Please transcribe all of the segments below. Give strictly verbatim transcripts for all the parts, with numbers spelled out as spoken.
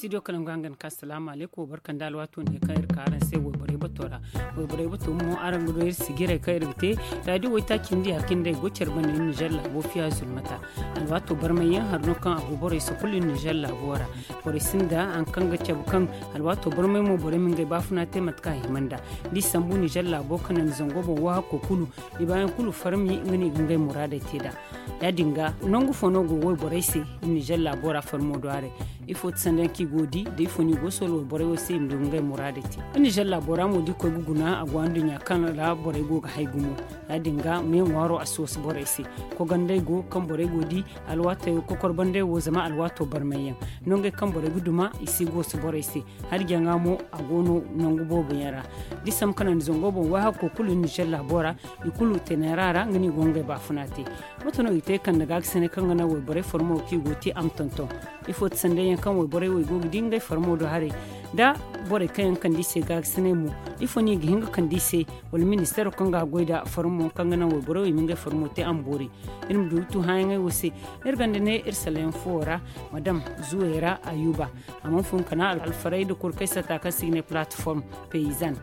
Studio kalangu hangan ka salaamu aleykum, barka nda alwaato ne kaŋ iri ka araŋ se wayborey bato ra. Wayborey bato mo, araŋ ga du iri sijirey kaŋ iri ga te. Raadiyo waytaaci nda ya kaŋ day go care banda iri nizer laabo fiya zulmata. Alwaato barmay yaŋ hari no kaŋ a go borey se kulu iri nizer laabo ra. Borey sinda hari kaŋ ga cabe kaŋ alwaato barmay mo borey ma ngey baafuna te mate kaŋ a hima nda. Da i sambu nizer laabo kaŋ naŋ zango boŋ wahakko kulu, i baayaŋ kulu farmi nga no i ga ngey muraadey te nd'a. Ya- din ga, nangu fo no go wayborey se iri nizer laabo ra farmo do haray? Ifo ti sanda yaŋ kaŋ i go ga di nda ifo no i go ga soola wayborey wo se i ma du ga ngey muraadey te? Iri nizer laabo ra mo da i koy ga guna a go anduɲɲa kaŋ ra borey go ga hay gumo. Ya- din ga me ŋwaaro a si wasu borey se. Kogandey go kaŋ borey go ga di alwaatey wo kokor bandey wo zama alwaato barmay yaŋ. Nongey kaŋ borey ga duma i si ga wasu borey se. Hari jaŋa mo a go no nangu boobo yaŋ ra. Da i sambu kaŋ naŋ zango boŋ wahakko kulu iri nizer laabo ra, i kulu teenera ra nga no i go ga ngey baafuna te. Mate no i ga te kande gaakasinay kaŋ ga naŋ wayborey farmo kaŋ i go ga te a ma tonton? Ifo ti sanday yaŋ kaŋ wayborey wo i go ga di ngey farmo do haray? Da borey kaŋ yaŋ kande i se gaakasinay mo, ifo no i ga hin ga kande i se? Wala ministeero kaŋ ga goy nda farmo kaŋ ga naŋ wayborey wo i ma ngey farmo te a ma boori? Iri ma du ga tu hããyaŋey wo se. Iri gonda ne iri salayaŋ fuwo ra, madam zuwayra ayuba. A mana fun kana alfaray nda kurkay sata kaŋ se i ga ne plateforme paysanne.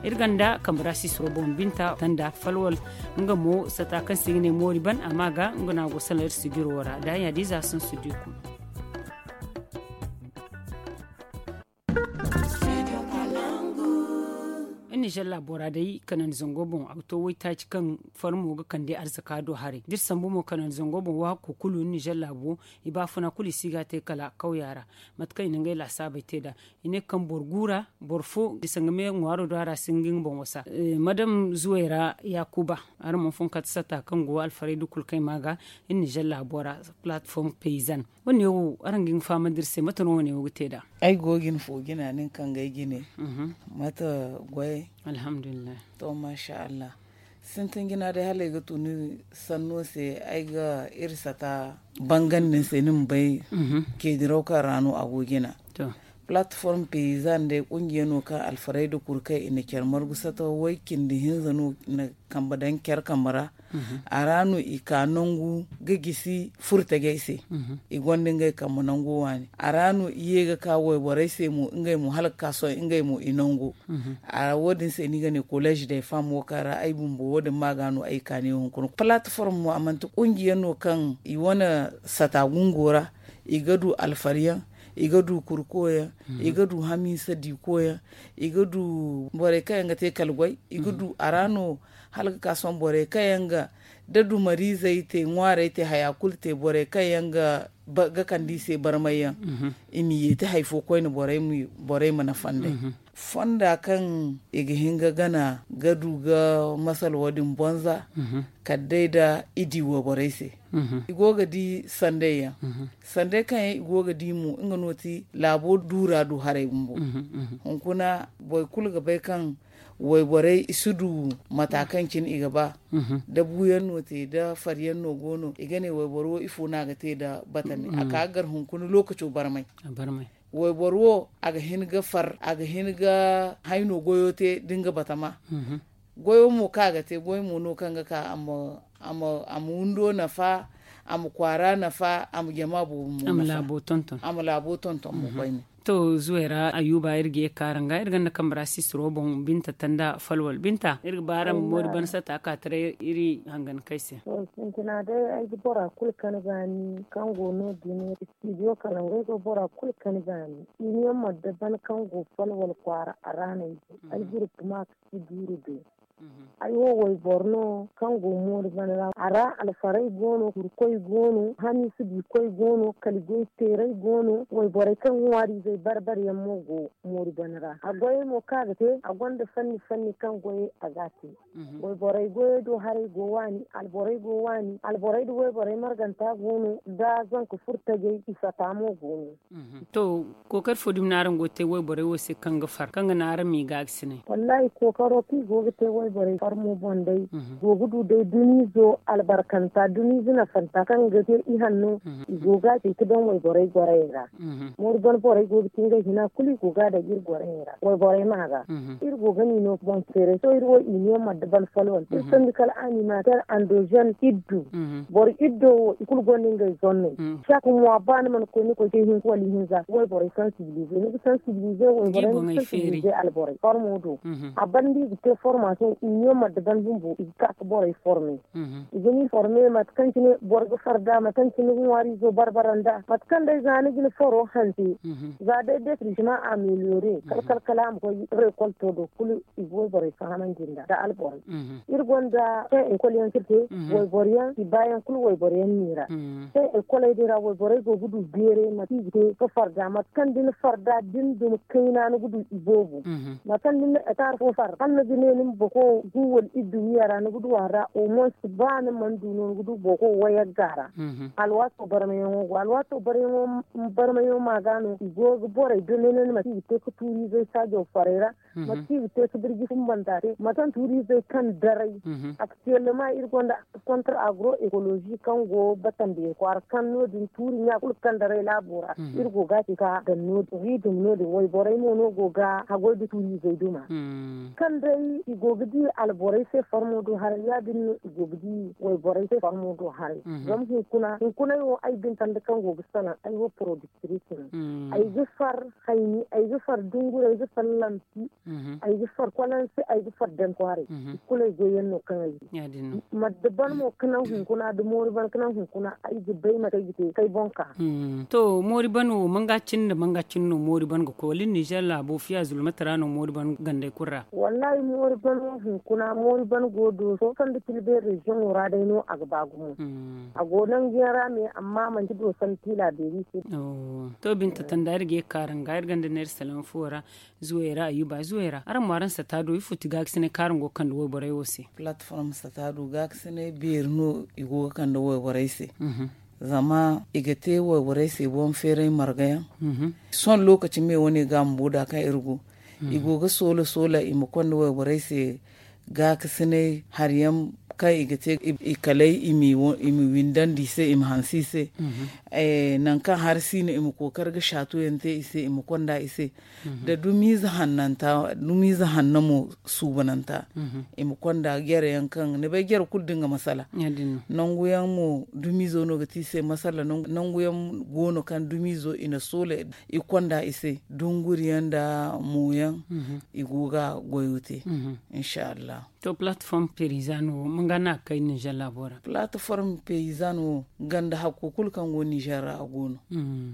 Iri gonda kambe ra sisiro boŋ binta tanda falwal. Nga mo sata kaŋ se i ga ne moori ban a ma ga nga no a go salaŋ iri sijiro ra da ya- din za a sinsu da i kuna. Iri nizer laabo ra day kanandi zango boŋ a ga to waytaaci kaŋ farmo ga kande arzaka do haray da iri sambu mo kanandi zango boŋ waako kulu iri nizer laabo i baafuna kulu i si ga a te kala kawya ra. Mate kaŋ i na ngey laasaabey te nd'a i ne kaŋ boro gu ra boro fo bisa nga me ŋwaaro do a ra si hin ga nga boŋ wasa. Madam zuway ra yaakuba, araŋ mana fun kate satta kaŋ go alfarayda kulu kaŋ ay ma ga iri nizer laabo ra. Plateforme paysanne wane wo araŋ ga hin ga fahamandi iri se mate no wane wo ga te nd'a? Ay go ga hin fo jina nin kaŋ ga ay jine. Mate goyey? Alhamdulillahi. To masha allah. Sintin jina day hala ay ga tun ni sanno se ay ga iri sata bangandi ni se ni ma bay. Keediraw kaŋ ra no a go jina. Plateforme paysanne day kungiya no kaŋ alfarayda kulu kaŋ i na care margu sata way cindi hinza no i na kambe daŋ care kambe ra. A ra no i ka nangu ga gisi furtajey se. I gonda ngey kambe nango waani a ra no i ye ga ka wayborey se mo ngey mo hala ga ka sohõ ngey mo i nango. A ra wo- din se no i ga ne collège des femmes wo kaŋ ra ay bumbo wo- din ma ga no ay kaani hunkuna plateforme mo a manti kungiya no kaŋ i wane sata gungo ra. I ga du alfari yaŋ, i ga du kurko yaŋ, i ga du hamiisa diiko yaŋ, i ga du borey kaŋ yaŋ ga te kala goy. I ga du a ra no hala ga ka sohõ borey kaŋ yaŋ ga da dumariizey te ŋwaarey te haya kulu te borey kaŋ yaŋ ga kande i se barmay yaŋ. I ma yeeti hari fo koyne borey ma nafa nd'ey. Fonda kaŋ i ga hin ga gana ga du ga masal wo- din bonza kala day da i di wayborey se. I go ga di sanday yaŋ. Sanday kaŋ yaŋ i go ga di mo nga no ti laabo duura du haray bumbo. Hunkuna boro kulu ga bay kaŋ wayborey i si du mata kaŋ cine i ga ba. Da buuyaŋ no te da fariyaŋ no go no i ga ne wayboro wo ifo no a ga te nda batami a ka ga gar hunkuna lookaco barmay. Wayboro wo a ga hin ga far a ga hin ga hayno goyo te da nga batama. Goyo mo kaŋ a ga te goy mo no kaŋ ga ka a ma windo nafa, a ma kwaara nafa, a ma jama boobo mo nafa. A ma laabo tonton mo koyne. To zuway ra ayuba iri ga ye ga ka araŋ ga iri gonda kambe ra sisiro boŋ binta tanda falwal binta iri ga ba araŋ ma moori ban sata ka taray iri hangankey se. Sintina day ay ga bora kulu kani ga ni kaŋ go no- din studio kala ngey go bora kulu kani ga ni. Iri yaŋ ma da ban kaŋ go falwal kwaara a ra no ay go ay gurupu ma ga si duuru day. Ay wo wayboro no kaŋ go moori bana ra a ra alfaray go no kurkoy go no hamiisa diikoy go no kala goy teeray go no wayborey kaŋ ŋwaariizey bar-bar yaŋ mo go moori bana ra a goyey mo kaŋ a ga te a gonda fanni fanni kaŋ goyey a ga a te. Wayborey goyey do haray go waani alborey go waani alborey nda wayborey marganta go no nda zanka furo tajey i sata mo go no. To kookari fo dumi no araŋ go ga te wayborey wo se kaŋ ga far kaŋ ga naŋ araŋ m'i gaagasinay? Wallaahi kookaro kaŋ i go ga te. Borey farmo boŋ day go ga du day dumiizo albarkanta dumiizo nafanta kaŋ ga te ihanno. I go ga a te ga daŋ wayborey gorayey ra. Moori ban borey go ga ti ngey hina kulu i go ga a daŋ iri gorayey ra wayborey ma ga. Iri go ga ni no boŋ feeray sohõ iri wo i ne madde ban folwante iri sandi kala animater andozen iddu. Boro iddo wo i kulu gonda ngey zonney. Cak mwa ba ni mana koy ni koy te hinka wala ihinza wayborey sansibilize ni ga sansibilize wayborey ni ga sansibilize alborey farmo do. A banda i ga te formation i ne madde ban bumbo i ga ka ka borey forme. I ga ni forme mate kaŋ cine boro ga farda mate kaŋ cine ŋwaariizo barbara nda mate kaŋ day za ni ga ni faro hanse. Za day detrigement ameliore kala kala kala a ma koy rekolto do kulu i ga wayborey fahamandi nda da alborey. Iri gonda kaŋ ekol yaŋ kaŋ iri te wayboro yaŋ i baayaŋ kulu wayboro yaŋ no i ra. Kaŋ ekoley din ra wayborey go ga du beeray mate i ga te ga farda mate kaŋ da ni farda da ni dumi kayna ni ga du i boobo. Mate kaŋ da ni na etaar fo far hala ni ga ne ni ma boko gu wala iddu wiya ra ni ga du a ra au moins ba ni mana du no ni ga du boko wayagga ra. Alwaato barmayaŋo go alwaato barmayaŋo ma ga no i go ga borey dondonandi mate i ga te ga tuuriizey saajo farey ra. Mate kaŋ i ga te ga birji fumbanta te mate kaŋ tuuriizey kaŋ daray. Aktuwellama iri gonda kontra agro ekolozi kaŋ go batandi kwaara kaŋ no- din tuuri ɲa kulu kaŋ daray laabo ra iri go ga a ci ka daŋ no- din wi dum no- din wayborey mo no go ga haggoy nda tuuriizey duma. Kaŋ day i go ga di alborey se farmo do haray ya- din no i go ga di wayborey se farmo do haray. Zama hunkuna hunkunay wo ay bintandi kaŋ go ga salaŋ ay wo porodiktiris no. Ay ga far hayni ay ga far dunguri ay ga far lampi. Ay ga far kwalansi ay ga far daŋ kwaaray. Kulu ay goy yaŋ no kaŋ ay ga madda ban mo ga naŋ hunkuna da moori ban ga naŋ hunkuna ay ga bay mate ay ga te kay boŋ ka. To moori ban wo manga cine nda manga cine no moori ban ga koy wala iri nizer laabo fiya zulmata ra no moori ban gandey kulu ra? Wallahi moori ban wo hunkuna moori ban go dooso sanda tilbe reziyoŋo ra day no a ga ba gumo. A go nangu yaŋ ra me amma manti dooso nda tiila beeri se. To binta tanda iri ga ye ga kaara nga iri ganda neera salaŋ fuwo ra. Zuwey ra ayuba zuwey ra araŋ mo araŋ sata do ifo ti gaakasinay kaŋ araŋ go ga kande wayborey wo se? Palatform sata do gaakasinay beeri no i go ga kande wayborey se. Zama i ga te wayborey se boŋ feeray marga yaŋ. Sohõ lokaci me wane ga bumbo da kaŋ iri go i go ga soola soola i ma konda wayborey se. Gaakasinay hari yaŋ kaŋ i ga te i kalay i ma windandi i se i ma hanse i se. Nangu kaŋ hari si no i ma kookari ga saatu yaŋ te i se i ma konda i se. Da dumiize hannanta dumiize hanna mo suubananta i ma konda jare yaŋ kaŋ ni bay jare kulu da nga masala. Nangu yaŋ mo dumiizo no ga te i se masala nangu yaŋ go no kaŋ dumiizo i na soola i konda i se dunguri yaŋ nda mo yaŋ. I go ga goyo te. Insa allah. To palatform perizan wo manga no a ga kay ninzeer laabo ra? Palatform perizan wo ganda hakko kulu kaŋ go ninzeer ra a go no.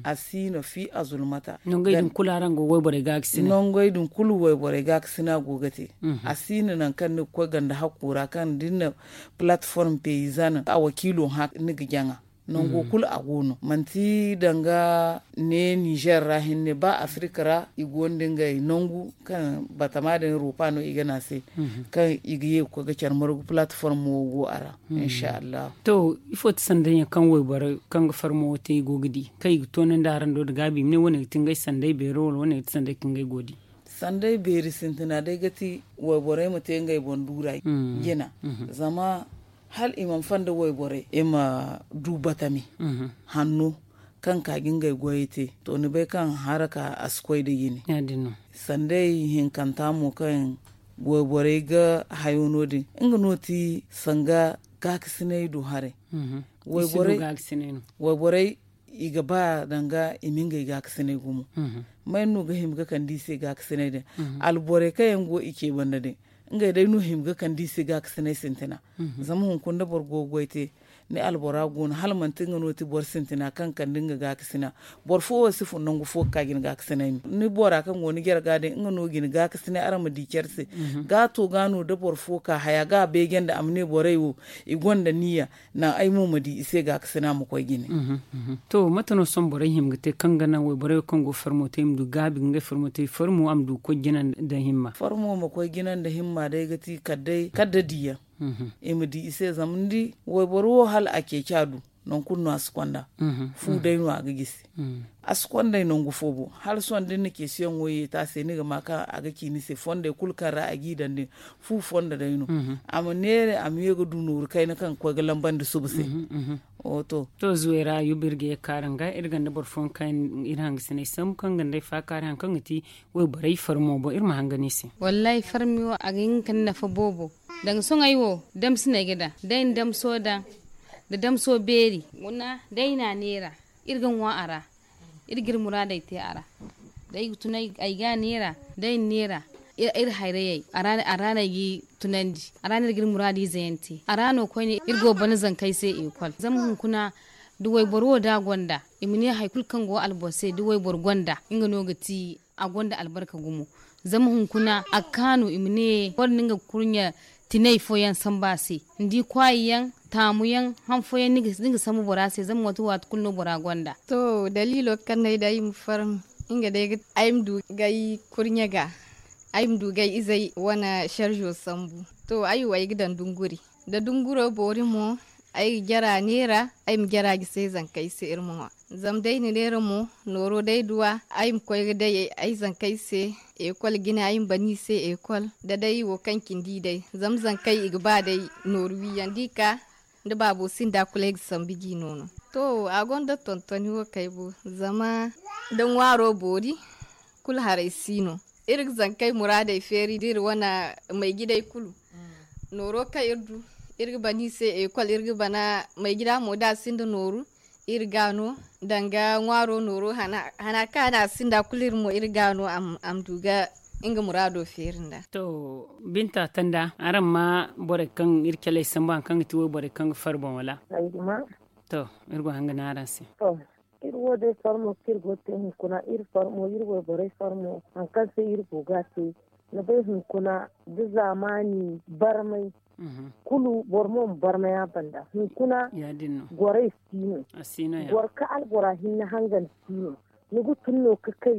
A si no fi a zulmata. Nongey din kulu araŋ go wayborey ga ga sina. Nongey din kulu wayborey ga ga sina go ga te. A si no nangu kaŋ ni ga koy ganda hakko ra kaŋ da ni na palatform perizan a wakiilo hã ni ga jaŋa. Nango kulu a go no manti danga ne ninzeer ra hinne ba afirika ra i go nda ngey nangu kaŋ batama din rupa no i ga ne a se. Kaŋ i ga ye ga koy ga care margu palatform wo go a ra. Insa allah. To ifo ti sanday yaŋ kaŋ wayborey kaŋ ga farmo wo te i go ga di kaŋ i ga toonandi araŋ do nda gaabi i ma ne wane ga ti ngey sanday beero wala wane ga ti sanday kaŋ ngey go ga di? Sanday beeri sintina day ga ti wayborey ma te ngey boŋ duura jina. Zama hala i mana fanda wayborey i ma du batami hanno kaŋ ka ga ngey goyey te. To ni bay kaŋ haraka a si koy nda jine. Sanday hinkanta mo kaŋ wayborey ga hayo no- din nga no ti sanga gaakasinay du haray. Wayborey i ga ba danga i ma ngey gaakasinay gumo. May no ga hima ga kande i se gaakasinay din? Alborey kaŋ yaŋ go i ce banda din ngey day no hima ga kande i se gaakasinay sintina. Zama hunkuna da boro go ga goy te ni albora go no hala manti nga no ti boro sintina kaŋ kande nga gaakasina. Boro fo wo si fun nangu fo ga ka ga ni gaakasinay me ni bora kaŋ go ni jare ga din nga no ga ni gaakasinay araŋ ma di care se. Gaato ga no da boro fo ka haya ga a beeje nda a ma ne borey wo i gonda niya. Naŋ ay mo ma di i se gaakasina ma koy jine. To mate no sohõ borey hima ga te kaŋ ga naŋ wayborey wo kaŋ go farmo te i ma du gaabi ga ngey farmo te farmo a ma du ga koy jina nda himma? Farmo ma koy jina nda himma day ga ti kala day kala da diyaŋ. I ma di i se zama ni di wayboro wo hala a ceeci a du. Nangu kulu no a si konda. Fu day no a ga gisi. A si konday nangu fo bo hala sohõ da ni na ceesiyaŋo ye te a se ni ga ma kaŋ a ga ci ni se fondey kulu kaŋ ra a g'i daŋ din. Fu fondo day no. A ma neera a ma ye ga du nooru kayna kaŋ ga koy ga lambandi suba se. To zuwey ra yuba iri ga ye ga kaaru nga iri ganda boro fooyaŋ kaŋ iri hangasiney sambu kaŋ ga nda ay faakaari hari kaŋ ga ti wayborey farmo boŋ iri ma hangan i se. Wallaahi farmi wo a ga hin ga kande nafa boobo. Danga sohõ ay wo damsiney ga daŋ da ay na damso daŋ, nda damso beeri guna da ay na a neera. Iri ga ŋwa a ra. Iri ga iri muraadey te a ra. Da ay ga tun ay ga a neera da ay na neera. Iri hayrayey a ra no ay g'i tunandi. A ra no iri ga iri muraadiize yaŋ te a ra no koyne iri go ga bana zankey se ekol zama hunkuna da wayboro wo da a gonda i ma ne hari kulu kaŋ go alboro se da wayboro gonda nga no ga ti a gonda albarka gumo. Zama hunkuna a ga kaanu i ma ne boro no nga ga kurɲe tinay fooyaŋ sambu a se. Ni di kwaayi yaŋ taamu yaŋ han fooyaŋ ni ga sambu bora se zama waati waati kulu no bora gonda. To daliilo kaŋ no ay daŋ ay ma farmi nga day ay ma du ga ay kurɲe ga ay ma du ga ay izey wane serzo sambu. To ay wo ay ga daŋ dunguri da dunguro boori mo ay ga jara neera ay ma jara gisi ay zankey se iri ma ŋwa. Zama day na neera mo nooro day duwa ay ma koy ga day ay zankey se ekol jine ay ma bana i se ekol da day wo kaŋ cindi day. Zama zankey i ga ba day nooru wiiyaŋ da i ka da baabo sinda kulu ay ga sambu ji noono. To a gonda tontoni wo kay bo zama da ŋwaaro boori kulu haray si no. Iri ga zankey muraadey feeri da iri wane maygidey kulu nooro kaŋ iri du iri ga bana i se ekol iri ga bana maygida mo da a sinda nooru iri ga no danga ŋwaaro nooro hana kaŋ a ne a sinda kulu iri mo iri ga no a ma du ga nga muraado feeri nda. To binta tanda araŋ ma borey kaŋ iri caley sambu hari kaŋ ga ti wayborey kaŋ ga fari boŋ wala? To iri go hanga ne araŋ se. Iri wo day farmo kaŋ iri go ga te hunkuna iri farmo iri wayborey farmo hari kaŋ se iri go ga a te ni bay hunkuna da zaamaani barmay kulu boro mo ma barmay a banda hunkuna gorey si no. Boro kaŋ albora hinne hangan si no. Ni ga tun no ga kay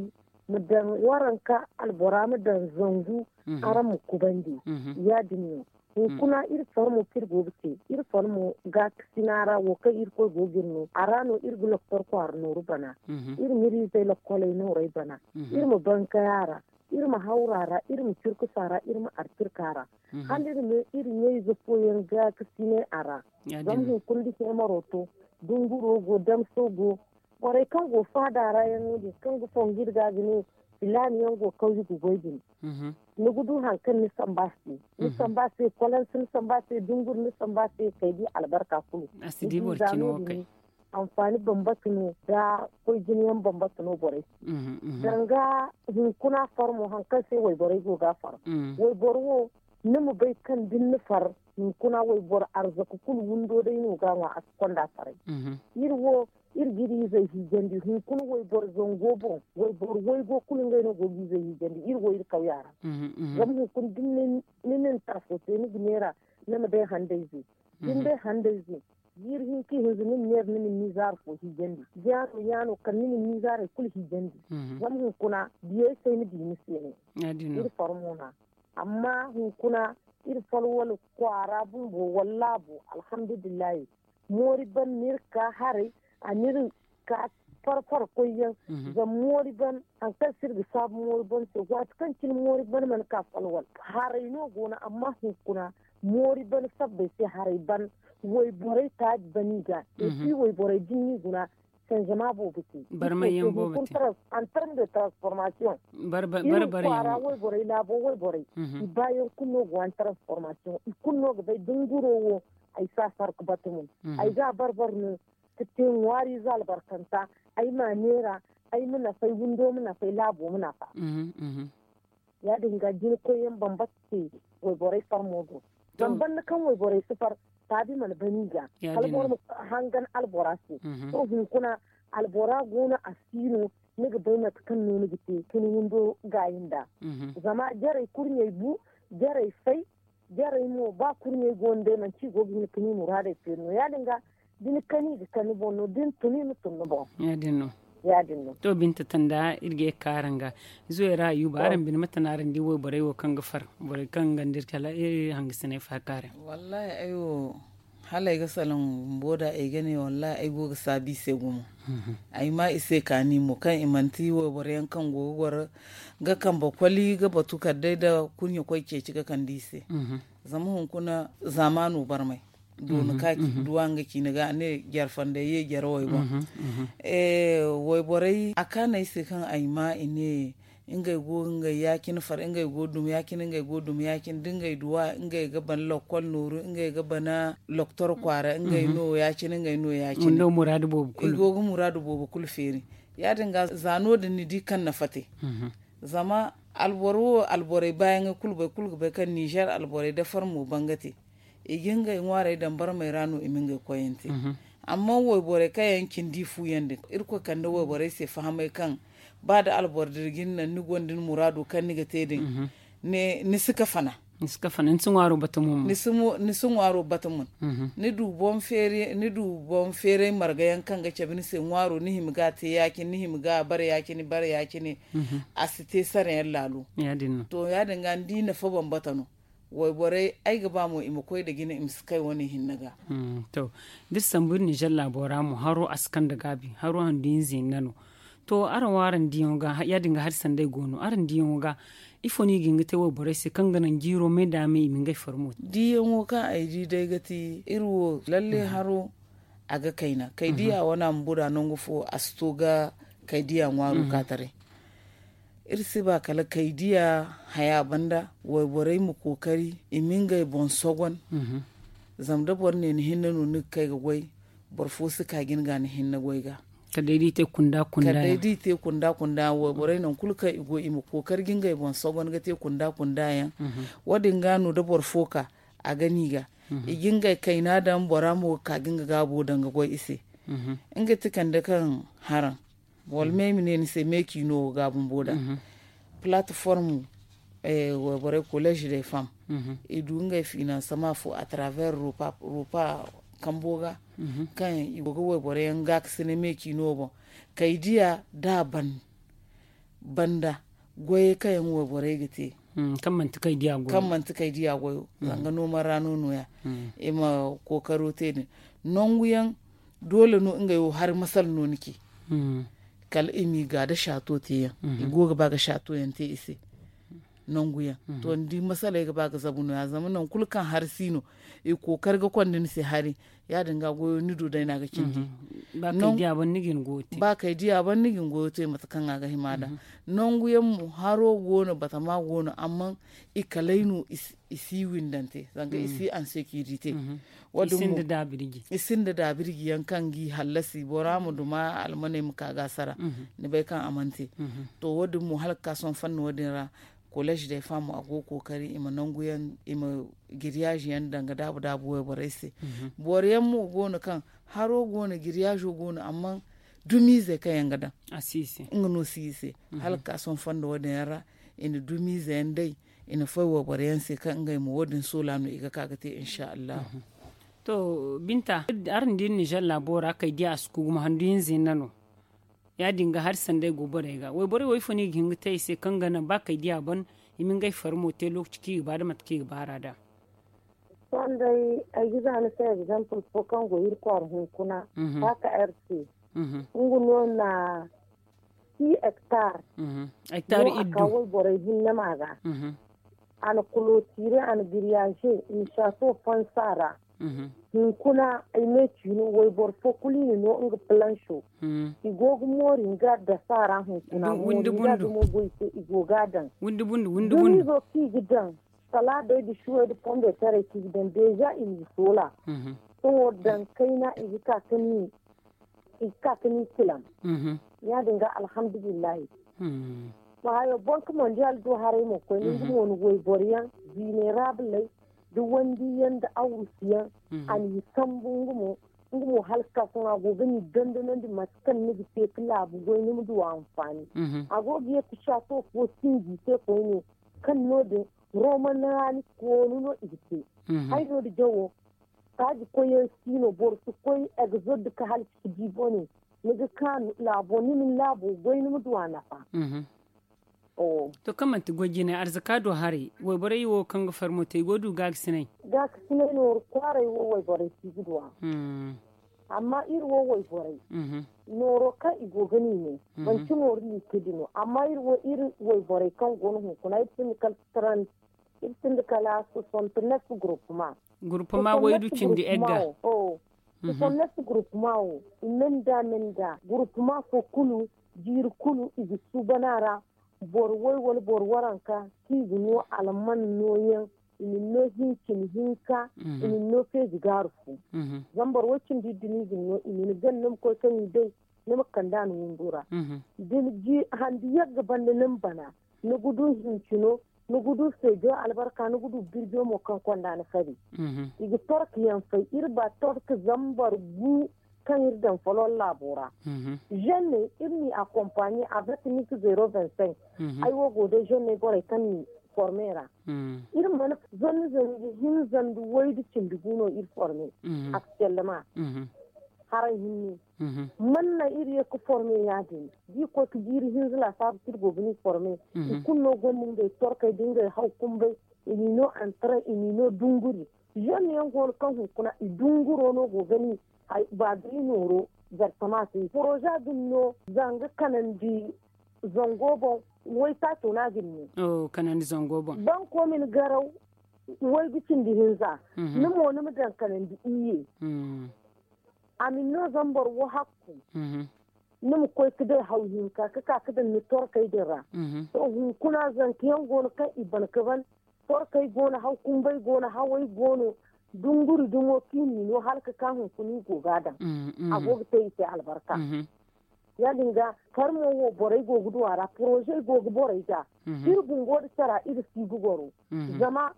ma daŋ waranka albora ma daŋ zangu araŋ ma kubandi. Ya- din no hunkuna iri farmo kaŋ iri go ga te iri farmo gaakasina ra wo kaŋ irkoy go ga iri no a ra no iri ga loktor kwaara nooru bana. Iri ma iri izey lokkoley noorey bana iri ma bankay a ra iri ma hawru a ra iri ma cirkus a ra iri ma arcirka a ra. Hala iri ma iri ɲayze fooyaŋ gaakasinay a ra. Zama hunkuna da heemaro to dunguro go damso go borey kaŋ go faada ra yaŋ no- din kaŋ ga fongu iri ga ga ne filaani yaŋ go kawye ga goy din. Ni ga du hari kaŋ ni samba se ni samba se kwalansi ni samba se dunguri ni samba se kay di albarka kulu. Ni di za no- din anfaani bambata no da koy jina yaŋ bambata no borey se. Danga hunkuna far mo hari kaŋ se wayborey go ga a far wayboro wo ni ma bay kaŋ da ni na far hunkuna wayboro arzaka kulu windo day no ga a ŋwa a si konda faray. Iri wo iri ga iri izey hiijandi hunkuna wayboro zango boŋ wayboro waygo kulu ngey no go ga izey hiijandi iri wo iri kawya ra. Zama hunkuna da ni na ni ta fo te ni ga neera ni ma day handayze da ni day handayze jiiri hinka ihinza ni ma neera ni ma ni miizaara fo hiijandi yaano yaano kala ni ma ni miizaarey kulu hiijandi. Zama hunkuna diyey se ay ma di ni se no iri farmo no a amma hunkuna iri falwala kwaara bumbo wallaahi bo alhamdulillahi. Moori ban no iri ka haray a na iri ka farfar koyyaŋ zama moori ban hari kaŋ se iri ga saabu moori ban se waati kaŋ cine moori ban mana ka falwal haray no go no amma hunkuna moori ban sabbay se haray ban wayborey taabi ban i ga et puis wayborey da ni n'i guna sanzama boobo te. Barmay yaŋ boobo te. Antarm de transformation iri kwaara wayborey laabo wayborey i baayaŋ kulu no go an transformation i kulu no ga bay dunguro wo. Ay si a sarka bata mo ay ga a barbar no ga te ŋwaariize albarkanta ay ma a neera ay ma nafa ay windo ma nafa ay laabo ma nafa. Ya- din ga jina koyyaŋ bambata se wayborey farmo do zama banda kaŋ wayborey si far taabi mana ban i ga kala boro ma hangan albora se. To hunkuna albora go no a si no ni ga bay mate kaŋ no ni ga te ka ni windo gaayi nda zama jarey kurɲey bu jarey fay jarey mo ba kurɲey go no day manti i go ga hin ga ni muraadey feeri no ya- din ga da ni kani ga kani boŋ no da ni tun i ma tun ni boŋ. Ya- din no. To binta tanda iri ga ye ga kaara nga zuwey ra yuuba araŋ bine mate no araŋ di wayborey wo kaŋ ga far borey kaŋ ga nda iri kala iri hangasiney faakaara. Wallaahi ay wo Hala ay ga salaŋ bumbo da ay ga ne wallahi ay go ga saabu i se gumo. Ay ma i se kaani mo kaŋ i manti wayboro yaŋ kaŋ go ga goro ga kambe koli ga batu kala day nda kurɲe koy ceeci ga kande i se. Zama hunkuna zaamaano barmay doona ka duwa nga ciine ga a ne jare fandey ye jare way boŋ. Wayborey a kaanu ay se kaŋ ay ma i ne ngey go ga ngey ya-cine far ngey go ga dumi ya-cine ngey go ga dumi ya-cine da ngey duwa ngey ga bana lokkol nooru ngey ga bana loktor kwaara ngey no ya-cine ngey no ya-cine. I go ga muraadu boobo kulu feeri. Ya- din ga za no- din ni di kaŋ na fate. Zama alboro wo alborey baayaŋey kulu boro kulu ga bay kaŋ ninzeer alborey da farmo bangate i ga ngey ŋwaarey daŋ barmey ra no i ma ngey koyante. Amma wayborey kaŋ yaŋ cindi fu yaŋ din irkoy kande wayborey se fahamay kaŋ ba da alboro dira ga ni naŋ ni gonda ni muraado kaŋ ni ga te din ni si kafana. Ni si ŋwaaro bata mun. Ni du boŋ feeray marga yaŋ kaŋ ga cabe ni se ŋwaaro ni hima ga a te ya- cine ni hima ga a bare ya- cine bare ya- cine. A si te sara yaŋ laalo. To ya- din ga ni di nafa bambata no. Wayborey ay ga ba mo i ma koy nda jina i ma si kay wane hinne ga. To, da iri sambu iri ninzeer laabo ra mo haro a si kande gaabi haro handu hinza hinne no. To araŋ wo araŋ diyaŋo ga ya- din ga hari sanday go no araŋ diyaŋo ga ifo no i ga hin ga te wayborey se kaŋ ga naŋ jiiro me nda me i ma ngey farmo te? Diyaŋo kaŋ ay di day ga ti iri wo lalle haro a ga kayna kaydiya wane a ma buda nangu fo a si to ga kaydiya ŋwaaro ka taray. Iri si ba kala kaydiya haya banda wayborey ma kookari i ma ngey boŋ sogon. Zama da boro ne ni hinne no ni ga kay ga goy boro fo si ka ga ni ga ni hinne goy ga. Kala day da i te kunda kunda yaŋ wayborey nangu kulu kaŋ i go i ma kookari ga ngey boŋ sogon ga te kunda kunda yaŋ. Wo- din ga no da boro fo ka a ga ni ga i ga ngey kayna daŋ bora mo ga ka ga nga gaabo daŋ ga goy i se. Nga ti kande kaŋ haraŋ wala me ay ma ne ni se me ciino wo ga bumbo da. Palateform wayborey kolleez de fam i du ngey finansama fo a travers rupa kambo ga kaŋ i go ga wayborey yaŋ gaakasine me ciino boŋ. Kay diya da a ban banda goyey kaŋ yaŋ wayborey ga te kaŋ manti kay diya goyo zanga noman ra no nooya i ma kookaro te din. Nangu yaŋ doole no ngey wo hari masala no ni ci kala i m'i ga da saato te yaŋ i go ga ba ga saato yaŋ te i se. Nangu yaŋ to ni di masaley ga ba ga zabu nooya zama nangu kulu kaŋ hari si no i kookari ga konda ni se hari ya- din ga goyo ni du day no a ga cindi. Ba kay diya ban ni ga ni goyo te mate kaŋ a ga hima da. Nangu yaŋ mo haro go no batama go no amma i kalay no i si windante zanga i si ansekirite. I sinda daabirji yaŋ kaŋ ga i hallasi bora ma duma almaney ma ka ga a sara. Ni bay kaŋ a mana te. To wo- din mo hala ga ka sohõ fanna wo- din ra kolleez day fam a go ga kookari i ma nangu yaŋ i ma giriyaazi yaŋ daŋ ga daabu daabu wayborey se. Boro yaŋ mo go no kaŋ haro go no giriyaazo go no amma dumiizey kaŋ yaŋ ga daŋ nga no si i se. Hala ga ka sohõ fondo wo- din yaŋ ra i na dumiize yaŋ day i na fay wayboro yaŋ se kaŋ ngey mo wo- din soola no i ga ka ga te insa allahu. To binta, araŋ di iri ninzeer laabo ra kay diya a si ku gumo handu hinza hinne no. Ya- din ga hari sanday go borey ga wayborey wo ifo no i ga hin ga te i se kaŋ ga naŋ ba kay diya ban i ma ngey fari mo te lookaci kaŋ i ga ba da mate kaŋ i ga baar'a da. Sanday ay ga za ni se egzampil fo kaŋ go iri kwaara hunkuna. Paaka r c nga no na six hectares. Hectares iddu. Wayborey hinne ma ga a na kulotire a na giriyaaze i na saato fansa ra. Hunkuna ay me ciino wayboro fo kulu i na no nga palanso. I go ga moori nga dasa ra hunkuna moori nga dumo goy se i go ga a daŋ. Windi bundu windi bundu. Kaŋ i ga daŋ salaadey nda suwey nda pombetaray kaŋ i ga daŋ deeza i n'i soola. Sohõ daŋ kayna i ga ka ka ni i ga ka ka ni tilam. Ya- din ga alhamdulillahi. Wa hayo bank mondial do haray mo koyne nga mo ni wayboro yaŋ ziineraabuley nda wandiyaŋ nda awrusiyaŋ. A n'i sambu nga mo nga mo hala ga ka sohõ a go ga ni dandanandi mate kaŋ ni ga te ka laabu goy ni ma du anfaani. A go ga ye ka saato fo sinji te koyne kaŋ no- din romanaani koonu no i ga te. Hay no da jawo taaji koyyaŋ si no boro si koy egzod ka halci ka di bone. Ni ga kaanu laabo ni ma ni laabo goy ni ma du a nafa. To kaŋ manti goy jine arzaka do haray wayborey wo kaŋ ga farmo te i go du gaakasinay. Gaakasinay nooru kwaaray wo wayborey si ga du a. Amma iri wo wayborey nooro kaŋ i go ga ni ne, manti nooru liikidi no amma iri wo iri wayborey kaŋ go no hunkuna iri sinda kala taran iri sinda kala sosonte nef gurupuma. Gurupuma waydu cindi egga. Sosonte nef gurupuma wo i menda menda gurupuma fo kulu jiiri kulu i ga suuban a ra. Boro way wala boro waranka kaŋ i ga no alman nooyaŋ i ma ni no hincin hinka i ma ni no feeji gaaru fo. Zama boro way cindi iri dumi i ga ni no i ma ni gana ni ma koy kaŋ i day ni ma kande a ni windo ra. Da ni di handi yagga banda ni ma bana ni ga du hincino ni ga du feejo albarka ni ga du birjo mo kaŋ konda ni fari. I ga torka yaŋ fay iri ba torka zambar gu kaŋ iri daŋ folon laabo ra. Zenne iri n'i akompaɲe a bati mik zero vingt cinq. Ay wo go day zenne borey kaŋ n'i forme ra. Iri mana zanni zanni ga hin zanni waydu cindi gu no iri forme. Akselma haray hinne. Manna iri ye ga forme ya- din da i koy ga jiiri hinza laasaabu kaŋ iri go ga n'i forme. I kulu no gonda ngey torkey da ngey haw kumbay i n'i no antaray i n'i no dunguri. Zenne yaŋ go no kaŋ hunkuna i dunguro no go ga ni ba ga ni nooro. Zartama se poroza din no zanga kanandi zango boŋ. Waytaaco no a ga ni ne kanandi zango boŋ. Banko ma ni garaw waygu cindi hinza ni mo ni ma daŋ kanandi iyye. A ma ni no zama boro wo hakku ni ma koy ga day haw hinka ga ka ga daŋ ni torkey din ra. To hunkuna zanka yaŋ go no kaŋ i ban ga ban torkey go no haw kumbey go no hawey go no. Dunguri dumo kaŋ i n'i no hala ga ka hunkuna i go ga a daŋ. A go ga te i se albarka. Ya- din ga farmo wo borey go ga du a ra poroze go ga borey ga. Iri bumbo nda cara iri si ga goro zama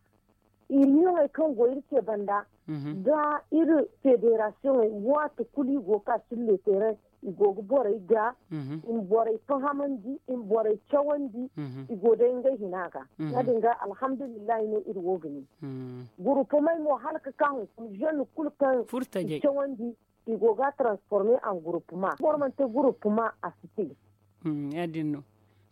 iri hiyoŋey kaŋ go iri ce banda nda iri federasiyoŋey waati kulu i go ga ka silleeteeray i go ga borey ga i ma borey fahamandi i ma borey cawandi. I go day ngey hina ga ya- din ga alhamdulillahi no iri wo ga ne. Gurupumey mo hala ga ka hunkuna zenne kulu kaŋ i cawandi i go ga a transforme en gurupuma boro mana te gurupuma a si te. Ya- din no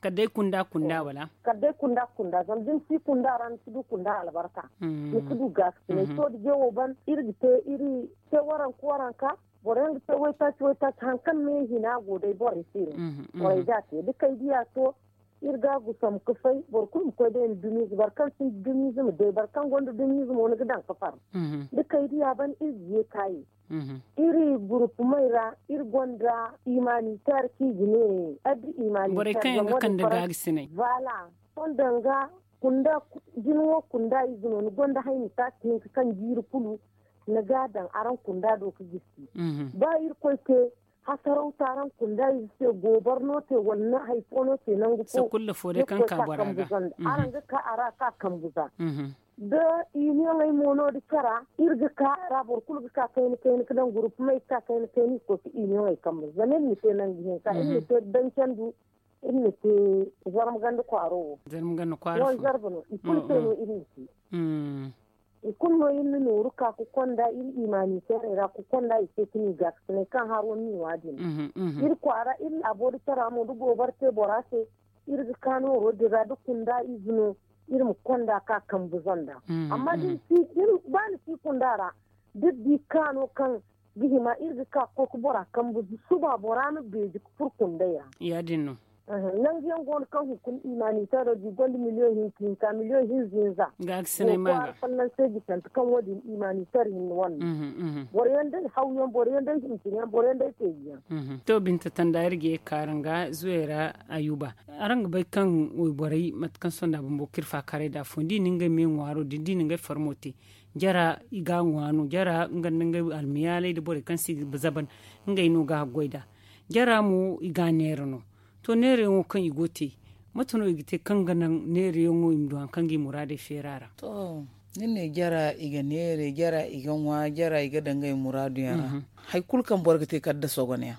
kala day kunda kunda wala kala day kunda kunda zama da ni si kunda ra ni si du kunda albarka. Ni si du gaakasinay to da jeewo ban iri ga te iri te waranka waranka boro yaŋ ga te waytaaci waytaaci hari kaŋ me hina go day borey se no. Borey ga a te da kay diya to iri ga a gusam ga fay boro kulu ma koy day nda dumiize boro kaŋ sinda dumiize ma day boro kaŋ gonda dumiize mo ni ga daŋ ga far. Da kay diya ban iri ga ye kaayi iri gurupumey ra iri gonda imanitaire kaŋ i ga ne adda imanitaire borey kaŋ yaŋ ga kande gaagasiney. Voilà sohõ danga kunda jina wo kunda ize no ni gonda hayni taaci hinka kaŋ jiiri kulu ni ga a daŋ araŋ kunda do ga gisi. Ba irkoy te hasaraw te araŋ kunda ize se gobar no te wala ni hari fo no te nangu fo. Sakulla fo day kaŋ ka bora ga araŋ ga ka a ra ka kambu za. Da iniyoŋey mo no da cara iri ga ka a ra boro kulu ga ka kayna kayna ga daŋ gurupumey ga ka kayna kayna i ga koy ga iniyoŋey kambu zama iri na te nangu hinka iri na te dancandu iri na te zarma ganda kwaaro wo. Zarma ganda kwaaro wo zarba no i kulu se no iri na te. I kulu no iri na nooru ka ga konda iri imanitairey ra ga konda i se ga ni gaakasinay kaŋ haro ni wa din. Iri kwaara iri laabo da cara mo da gobar te bora se iri ga ka nooro din ra da kunda ize no iri ma konda ka kambu zanda. Amma da ni si ba ni si kunda ra da ni di kaano kaŋ ga hima iri ga ka ga koy ga bora kambu suba bora ma beeji ga furo kundey ra. Ya- din no. Nangu yaŋ go no kaŋ hunkuna imanitairo di gonda miliyoŋ hinka hinka miliyoŋ hinza hinza. Ga ga sinay ma ga fallansey ga canta kaŋ wo- din imanitaire hinne wane no. Boro yaŋ day haw yaŋ boro yaŋ day hincin yaŋ boro yaŋ day feeji yaŋ. To binta tanda iri ga ye ga ka araŋ ga zuwey ra ayuba. Araŋ ga bay kaŋ wayborey mate kaŋ sonda bumbo ga iri faakaray nd'a afooyaŋ da i na ngey me ŋwaaro din da i na ngey farmo te. Jara i ga a ŋwa no jara nga nda ngey almiyaaley nda borey kaŋ se i ga zaban ngey no ga a goy nd'a. Jara mo i ga a neera no. To neerayaŋo kaŋ i go ga te mate no i ga te kaŋ ga naŋ neerayaŋo i ma du hari kaŋ ga i muraadey feera ra? To ni ne jara i ga neere jara i ga ŋwa jara i ga daŋ ngey muraadu yaŋ ra. Hari kulu kaŋ boro ga te kala nda sogonayaŋ.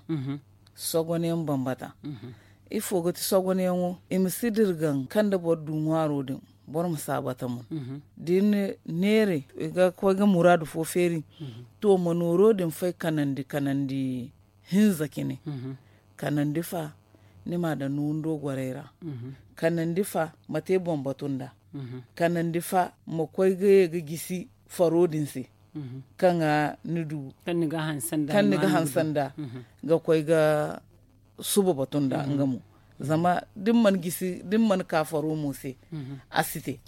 Sogonayaŋ bambata. Ifo ga ti sogonayaŋo i ma si dirgaŋ kaŋ nda boro du ŋwaaro din boro ma si a bata mo. Da ni neere i ga koy ga muraadu fo feeri. To ma nooro din fay kanandi kanandi hinza cine. Kanandi fa ni m'a daŋ ni windo gorey ra. Kanandi fa ma te boŋ batu nd'a. Kanandi fa ma koy ga ye ga gisi faro din se. Kaŋ ga ni du kaŋ ni ga hanse nd'a ga koy ga suba batu nd'a nga mo. Zama da ni mana ka faro mo se, a si te.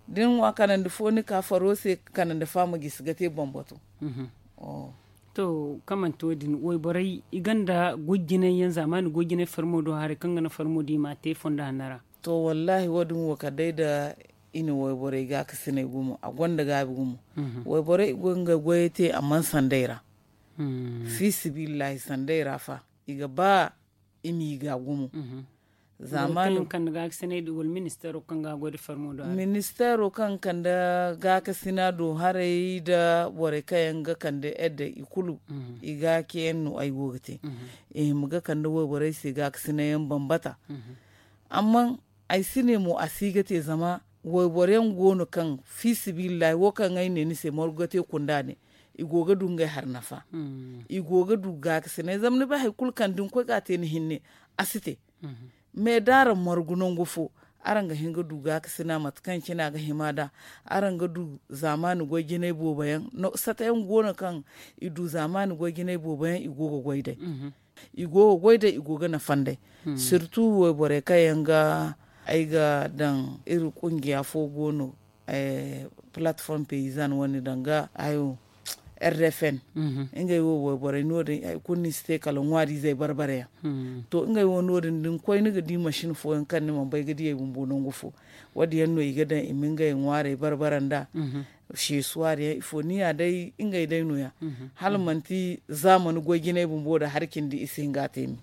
Da ni ŋwa kanandi fo ni ka faro se, kanandi fa ma gisi ga te boŋ batu. To, kaŋ manti wo- din wayborey i gonda goy jinay yaŋ zaamaani goy jinay farmo do haray kaŋ ga naŋ farmo din i m'a te fondo hanno ra. To, wallaahi wo- din wo kala day nda i na wayborey gaakasinay gumo a gonda gaabi gumo. Wayborey i go ga ngey goyey te amma sanday ra. Fi sibillahi sanday ra fa i ga ba i m'i ga gumo. Zaamaani kaŋ ga ga sinay da wala ministeero kaŋ ga goy da farmo do haray. Ministeero kaŋ ga kande gaakasina do haray nda borey kaŋ yaŋ ga kande edda i kulu. I ga ke yaŋ no ay go ga te. I hima ga kande wayborey se gaakasina yaŋ bambata. Amma ay si ne mo a si ga te zama wayboro yaŋ go no kaŋ fi sibillahi wo kaŋ ay ne ni se margu ga te kunda ne. I go ga du ngey hari nafa. I go ga du gaakasinay zama ni bay hari kulu kaŋ da ni koy ga a te ni hinne a si te. Me da araŋ margu nangu fo, araŋ ga hin ga du gaakasina mate kaŋ cine a ga hima nd'a. Araŋ ga du zaamaani goy jinay boobo yaŋ sata yaŋ go no kaŋ i du zaamaani goy jinay boobo yaŋ i go ga goy day. I go ga goy day i go ga nafa nd'ey. Sirtu wayborey kaŋ yaŋ ga ay ga daŋ iri kungiya fo go no, palatform peyizan wane danga hayo, r d f n. Ngey wo wayborey no- din hari kulu no i si te kala ŋwaariizey barbare yaŋ. To ngey wo no- din da ni koy ni ga di masin fooyaŋ kaŋ ni mana bay ga di ay bumbo nangu fo. Wo- din yaŋ no i ga daŋ i ma ngey ŋwaarey barbare nd'a. Seesuwaari yaŋ ifo ni ya day ngey day no- ya. Hala manti zaamani goy jinay bumbo nda hari cindi i si hin ga a te ni.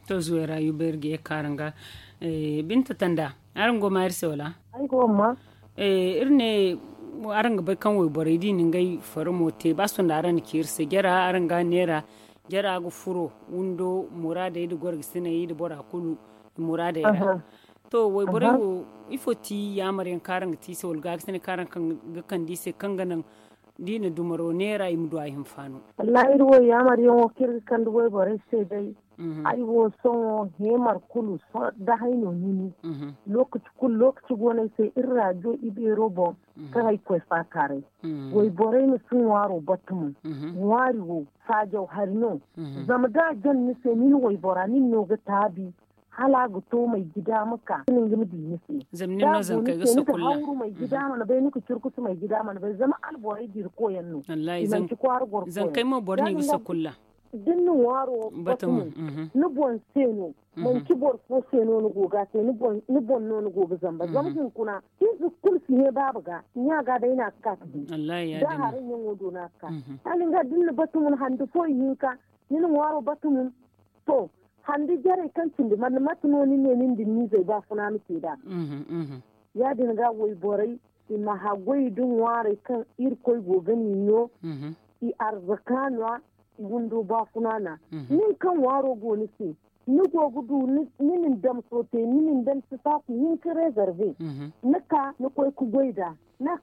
To zuway ra yuba iri ga ye kaara nga. Binta tanda, araŋ go ma iri se wala? Iri ne araŋ ga bay kaŋ wayborey da i na ngey faramo te ba sohõ nda araŋ na ci iri se jara araŋ ga a neera. Jara ga furo windo muraadey nda gorgasiney nda bora kulu muraadey ra. To wayborey wo ifo ti yaamar yaŋ kaŋ araŋ ga te i se wala gaakasiney kaŋ araŋ ga kande i se kaŋ ga naŋ da i na dumaro neera i ma du a hinfaano? Wallaahi iri wo yaamar yaŋo kaŋ iri ga kande wayborey se day. Ay wo sohõ heemar kulu da hay no hini. Lookaci kulu lookaci go no ay se iri raajo ibeero boŋ kaŋ ay koy faakaaray. Wayborey ma si ŋwaaro batumo. Ŋwaari wo saajaw hari no. Zama da a jan ni se ni na waybora nin no ga taabi. Hala a ga to may gida ma ka ni nga ma di ni se. Zama nin no zankey ga sakulla. Hawru may gida mana bay ni ka curkusu may gida mana bay zama alborey dira koyaŋ no. I manci kwaara goro koyaŋ zankey mo boro no i ga sakulla. Da ni na ŋwaaro batumo ni boŋ se no. Manci boro fo se no ni go ga te ni boŋ no ni go ga zamba zama hunkuna ize kulu si ne baaba ga ɲa ga day no a ga ka ga di. Da haray ɲaŋo do no a ga ka. Hala ni ga da ni na batumo hande fo ihinka ni na ŋwaaro batumo. To handi jarey kaŋ cindi mate no ni ne nin da ni n'izey ba funa ma te nd'a. Ya- din ga wayborey i ma haggoy da ŋwaarey kaŋ irkoy go ga ni no. I arzaka no a i windo ba funa no a. Nin kaŋ ŋwaaro go ni se ni go ga du ni na ni dam soote ni na ni dam sitaaku hinka rezerve. Ni ka ni koy ga goy nd'a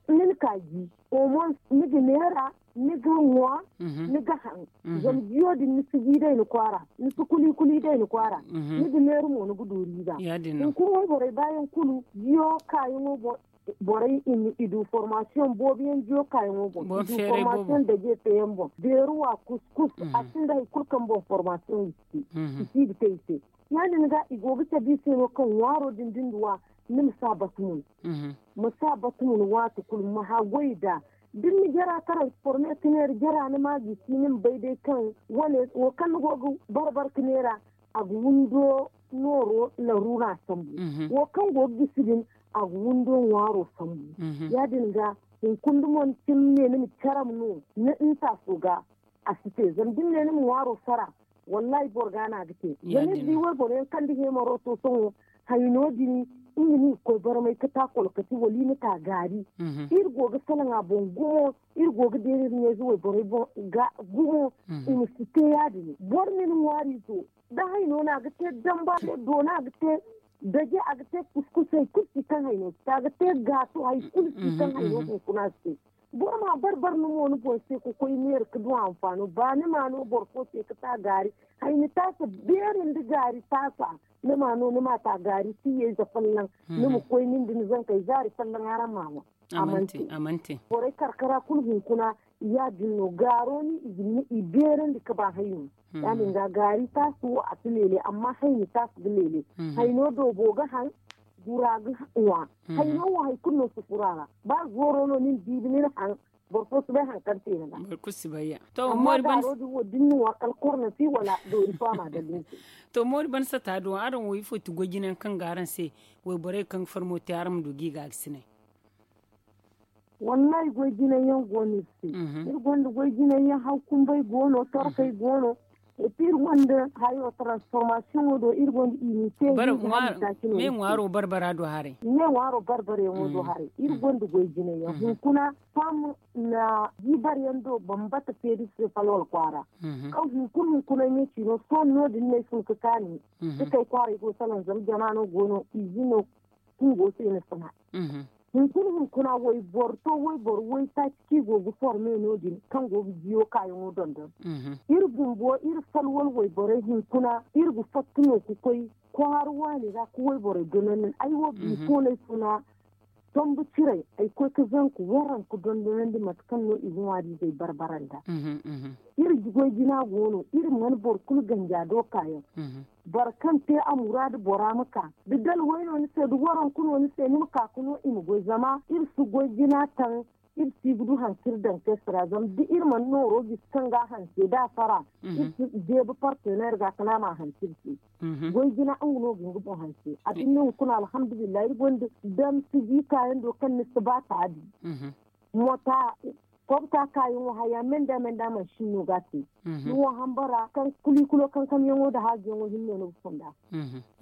ni na ka ji. Omon ni ga neera ni ga ŋwa ni ga haŋ. Zama jiyo din ni si ji day ni kwaara ni si kuli kuli day ni kwaara. Ni ga neera mo ni ga du riiba. Hunkuna wayborey baayaŋ kulu jiyo kaayaŋo boŋ borey i du formasiyoŋ boobo yaŋ jiyo kaayaŋo boŋ i du formasiyoŋ daje teeyaŋ boŋ beeruwa kuskus. A sinda hari kulu kaŋ boŋ formasiyoŋ i si te i si ga te i se. Ya- din ga i go ga cabe i se no kaŋ ŋwaaro din da ni duw'a ni ma si a batumun. Ma si a batumun waati kulu ma haggoy nd'a da ni na jara taray forme ka neera jara ni ma a gisi ni ma bay day kaŋ wane wo kaŋ ni go ga barbara ka neera a ga windo nooro laruura sambu. Wo kaŋ go ga gisi din a ga windo ŋwaaro sambu. Ya- din ga hunkuna da mo ni cimi ne ni ma caram no ni ntaaso ga a si te zama da ni ne ni ma ŋwaaro sara. Wallaahi boro ga no a ga te zama iri di wayboro yaŋ kaŋ da heemaro to sohõ hayno din nga no i ga koy barmay ga ta kolkati wala i ma ta gaari. Iri go ga salaŋ a boŋ gumo iri go ga deera iri ɲayze wayborey boŋ ga gumo. I ma si te ya- din boro ma ni ŋwaariizo da hayno no a ga te damba do no a ga te daje a ga te kuskus hari kulu si kaŋ hayno si te a ga te gaato hari kulu si kaŋ hayno hunkuna si te. Boro ma bar bar ni mo ni boŋ se ka koy neera ka du anfaano ba ni ma no boro fo se ka ta gaari. Hayni taasa beeri nda gaari taasa. Ni ma no ni ma ta gaari si yayza folloŋ. Ni ma koy nin da ni zankey zaari folloŋ araŋ ma ŋwa. A man te. Borey karkara kulu hunkuna ya- din no gaaro ni i beerandi ka ba hayno. Ya- din ga gaari taasi wo a si leele amma hayni taasi ga leele. Hayno doobo ga haŋ. Gura ga ŋwa. Hayno wo hari kulu no si furo a ra. Ba zooro no ni na diibi ni na haŋ. Boro fo si bay hari kaŋ te ni ga. Boro kulu si bay ya. To amma moori ban gaaro din wo da ni na ŋwa kala korna si wala doori faama ga din se. To moori ban sata do araŋ wo ifo ti goy jinayaŋ kaŋ ga araŋ se? Wayborey kaŋ ga farmo te araŋ ma du ga i ga ga sinay. Wallahi goy jinay yaŋ go no iri se. Iri gonda goy jinay yaŋ haw kumbay go no torkey go no. Epi iri gonda hayo transformation wo do iri gonda i ni te. Me ŋwaaro barbara do haray. Me ŋwaaro barbara yaŋo do haray iri gonda goy jinay yaŋ hunkuna. Fam na jibar yaŋ do bambata feeri se falwal kwaara. Kaŋ hunkuna hunkuna ɲaci no sohõ no- din no ay fun ka kaani. Dukey kwaaray go salaŋ zama jama no go no izi no. Kungo se ni sina. Hunkuna hunkuna wayboro to wayboro waytaaci kaŋ i go ga forme no- din kaŋ go ga jiyo kaayaŋo dondon. Iri bumbo iri falwal wayborey hunkuna iri ga fatta no ga koy kwaara waani ra ka wayborey dondon ay wo biifo no ay funa. Tombu ciray ay koy ka zanku waranku dondonandi mate kaŋ no i ga ŋwaari izey barbara nda. Iri goy jina go no iri mana boro kulu ganja do kaayaŋ. Boro kaŋ te a muraadu bora ma ka da dalway no ni se da waranku no ni se ni ma ka ka no i ma goy zama iri si goy jina taŋ. Iri si ga du hanse iri daŋ kayse ra zama da iri mana nooro gisi kaŋ ga a hanse da a fara. Iri si deeba partenaire ga kala a ma hanse iri se. Goy jina nga no ga nga boŋ hanse a binde hunkuna alhamdulillahi iri gonda damsi jiika yaŋ do kaŋ ni si ba taabi. Mota kobta kaayaŋo haya menda menda mansin no ga a te. Ni wo hambara kaŋ kulikulo kankam yaŋo nda haaji yaŋo hinne no ga fonda.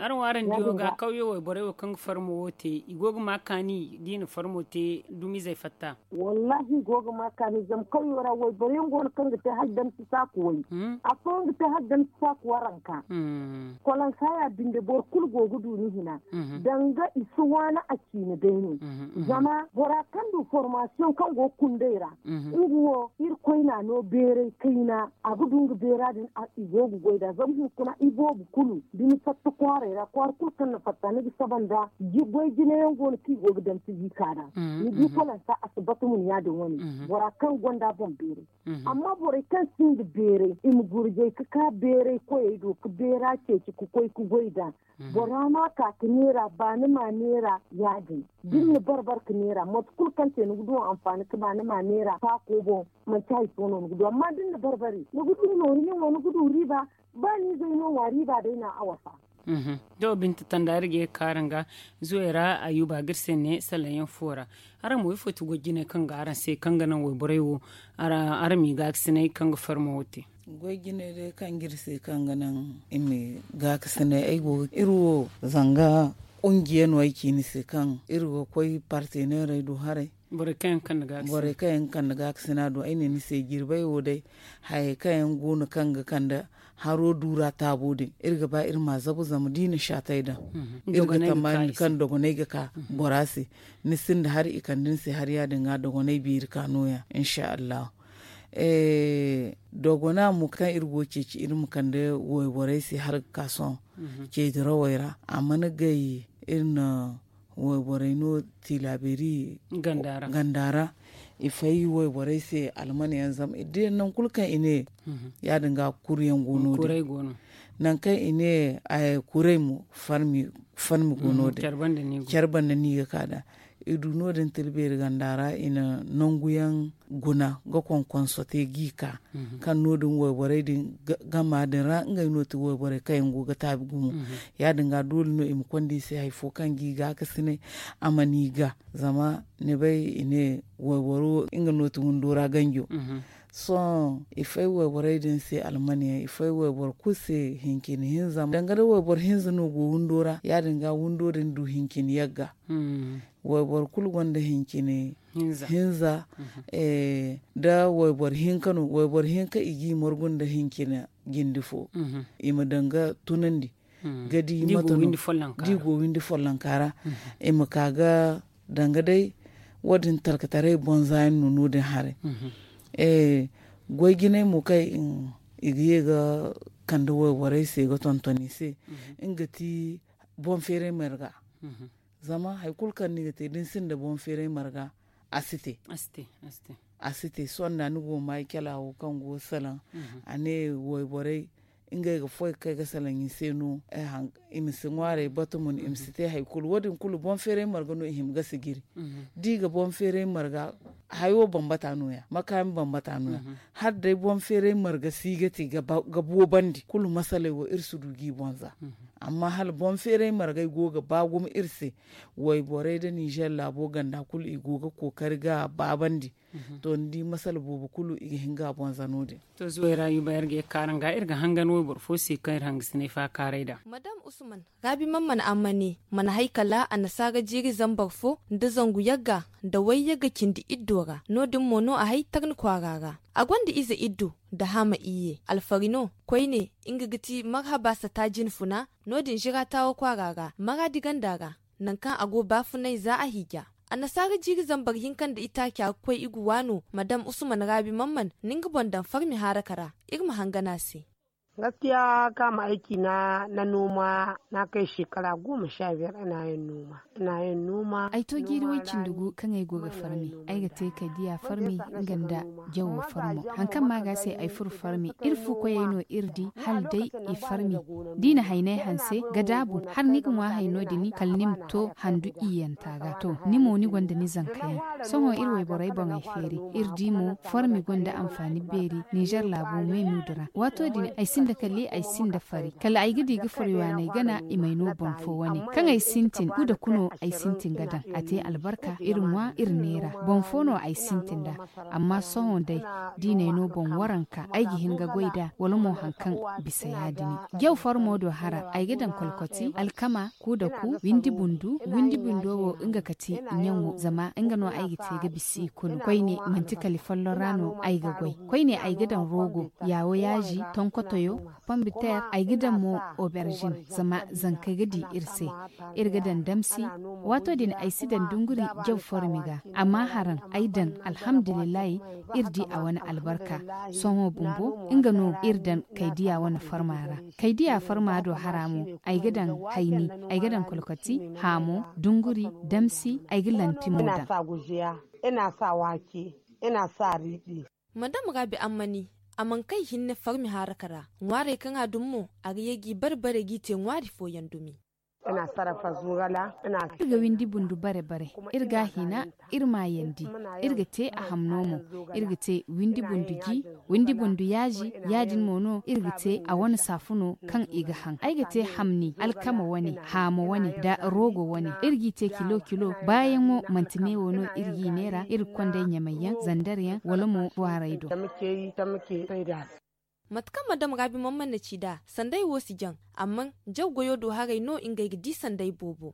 Araŋ wo araŋ diyo ga kawyo wayborey wo kaŋ ga farmo wo te i go ga ma kaani da i na farmo te dumizey fatta. Wallahi i go ga ma kaani zama kawyo ra wayboro yaŋ go no kaŋ ga te hala damsi saaku way. Afooyaŋ ga te hala damsi saaku waranka. Kolonsa ya binde boro kulu go ga du ni hina. Danga i si waani a ciina day no. Zama bora kaŋ du formasiyoŋ kaŋ go ga kundey ra nga wo irkoy na a no beeray kayna a ga du nga beera din. I go ga goy nd'a zama hunkuna iboobo kulu da ni fatta kwaaray ra kwaara kulu kaŋ na fatta ni ga saba nd'a. Goy jinayaŋ go no kaŋ i go ga daŋ si jiika ra. Ni di kolonsa a si batu mun ya- din wane. Bora kaŋ gonda boŋ beeray. Amma borey kaŋ sinda beeray i ma gurjay ka ka beeray koyey do ka beera ceeci ka koy ka goy nd'a. Bora ma ka ka neera ba ni ma neera ya- din da ni na barbar ka neera mate kulu kaŋ te ni ga du anfaani ka ba ni ma neera faako boŋ. Manti hari fo no ni ga du amma da ni na barbari ni ga du nooru ɲaŋo ni ga du riiba. Ba ni zay no ŋwa riiba day no a wasa. To binta tanda iri ga ye ga kaara nga zuwey ra ayuba ga iri se ne salaŋ yaŋ fo ra. Araŋ mo ifo ti goy jinay kaŋ ga araŋ se kaŋ ga naŋ wayborey wo araŋ ma i gaakasinay kaŋ ga farmo wo te? Goy jinay day kaŋ ga iri se kaŋ ga naŋ i ma i gaakasinay ay go ga iri wo zanga kungiya no ay ci ni se kaŋ iri ga koy parteneerey do haray. Borey kaŋ yaŋ ga kande gaakasina do ay ne ni se jirbey wo day. Hayey kaŋ yaŋ go no kaŋ ga kande haro duura taabo din iri ga ba iri ma a zabu zama da i na shaatay daŋ iri ga tammaani kaŋ dogonay ga ka bora se. Ni sinda hari i kande ni se hari ya- din ga dogonay beeri ka nooya insa allahu. Dogona mo kaŋ iri go ga ceeci iri ma kande wayborey se hala ga ka sohõ ceedirawey ra a mana gay iri na wayborey no tilaaberi ganda ra. I fay wayborey se almana yaŋ zama iri di yaŋ nangu kulu kaŋ i ne ya- din ga kuru yaŋ go no- din nangu kaŋ i ne kuray mo farmi go no- din care banda no i ga ka nd'a. I du no- din tilbeeri ganda ra i na nangu yaŋ guna ga konkonso te ga i ka kaŋ no- din wayborey din gama din ra ngey no ti wayborey kaŋ yaŋ go ga taabi gumo. Ya- din ga doole no i ma konda i se hari fo kaŋ ga i gaakasinay a mana i ga zama ni bay i ne wayboro wo nga no ti windo ra ganjo. Sohõ i fay wayborey din se almaniyaŋ i fay wayboro kulu se hincine hinza danga day wayboro hinza no go windo ra ya- din ga windo din du hincine yagga. Wayboro kulu gonda hincine hinza da wayboro hinka no wayboro hinka i g'i margu nda hincine jindi fo i ma danga tunandi ga di mate no da i go windi follonka ra i ma ka ga danga day Wo- din talkataray bonza yaŋ no no- din haray. Goy jinay mo kaŋ i ga ye ga kande wayborey se ga tonton i se, nga ti boŋ feeray marga. Zama hari kulu kaŋ ni ga te da ni sinda boŋ feeray marga, a si te. A si te. Sohõ da ni go ga ma ay cala wo kaŋ go ga salaŋ, a ne wayborey ngey ga foy ga kay ga salaŋ i se no. I ma si ŋwaaray batumun, i ma si te hari kulu wo- din kulu boŋ feeray marga no i hima ga sijiri. Da i ga boŋ feeray marga, hayo bambata no- ya, makaami bambata no- ya. Hala day boŋ feeray marga si ga te ga boobandi kulu masaley wo iri si du ga i boŋ za. Amma hala boŋ feeray margey go ga ba gumo iri se, wayborey nda ninzeer laabo ganda kulu i go ga kookari ga baabandi. To ni di masala boobo kulu i ga hin ga a boŋ za no- din. To zuway ra yuba iri ga ye ga kaaran ga iri ga hangan wayboro fo se kaŋ iri hangasinay faakaaray nd'a. Madam usman, gaabi man mana amma ne mana hay kala annasaara jiiri zambar fo nda zangu yagga nda way yagga cindi iddo ra no- din mo no a hay tarni kwaara ra. A gonda ize iddo nda haama iyye alfari no. Koyne nga ga ti marhaba sata jinfuna. No- din zira taawa kwaara ra maraadi ganda ra, nangu kaŋ a go baafunay za a hiija. Annasaara jiiri zambar hinka nda itaaca ga koy i ga waano madam usman raabi mamman na nga boŋ daŋ farmi haaraka ra. Iri ma hangan a se. Gaskiya kaŋ a ma ay ciina na nooma na kay shekara goma sha biyar ina yin nooma. Ina yin nooma. Ay to jiiri way cindi gu kaŋ ay go ga farmi. Ay ga te kay diya farmi nga nda jawo farmo. Hari kaŋ ma ga se ay furo farmi iri fu koyey no iri di hala day i farmi. Da i na haynay hanse ga daabu hala ni ga ŋwa hayno din kala ni ma to handu iyyanta ga to ni mo ni gonda ni zanka yaŋ. Sohõ iri wayborey boŋey feeri iri di mo farmi gonda anfaani beeri ninzeer laabo me muudu ra. Waato din ay sinda kali ay sinda fari kala ay ga di ga fari waaney gana i may no boŋ fo wane kaŋ ay sintin ku da ku no ay sintin ga daŋ a te albarka iri ŋwa iri neera. Boŋ fo no ay sintin nd'a. Amma sohõ day diinay no boŋ waranka ay ga hin ga goy nd'a wala mo hari kaŋ bisa ya- din. Jaw farmo do hara ay ga daŋ kolkoti alkama ku da ku windi bundu windi bundo wo nga ga ti ɲaŋo zama nga no ay ga te ga bisa i kulu koyne manti kala i folloŋ ra no ay ga goy. Koyne ay ga daŋ rogo yaawo yaaji tonkotoyo pombiteer ay ga daŋ mo oberzin zama zankey ga di iri se. Iri ga daŋ damsi waato din ay si daŋ dunguri jaw formi ga. Amma haraŋ ay daŋ alhamdulillahi. Iri di a wane albarka. Sohõ bumbo nga no iri daŋ kaydiya wane farma ra. Kaydiya farma do hara mo ay ga daŋ hayni, ay ga daŋ kolkoti, haamo, dunguri, damsi, ay ga lanti mo daŋ. Ina sa waake, ina sa riiɗi. Madam raabi ammani a mana kay hinne farmi haaraka ra. Ŋwaarey kaŋ a dumi mo a ga ye g'i bare bare g'i te ŋwaari fooyaŋ dumi. Iri ga windi bundu bare bare. Iri ga a hina iri maayandi. Iri ga te a hamno mo. Iri ga te windi bundu ji, windi bundu yaaji. Ya- din mo no iri ga te a wane saafuno kaŋ i ga haŋ ay ga te hamni alkama wane, haamo wane nda roogo wane. Iri g'i te kilo kilo baayaŋo manti neewo no iri g'i neera iri ga konda ay ɲamayyaŋ zandaryaŋ wala mo kwaaray do. Mate kaŋ madam raabi man mana ci nd'a sanday wo si jaŋ. Amma jaw goyo do haray no ngey ga di sanday boobo.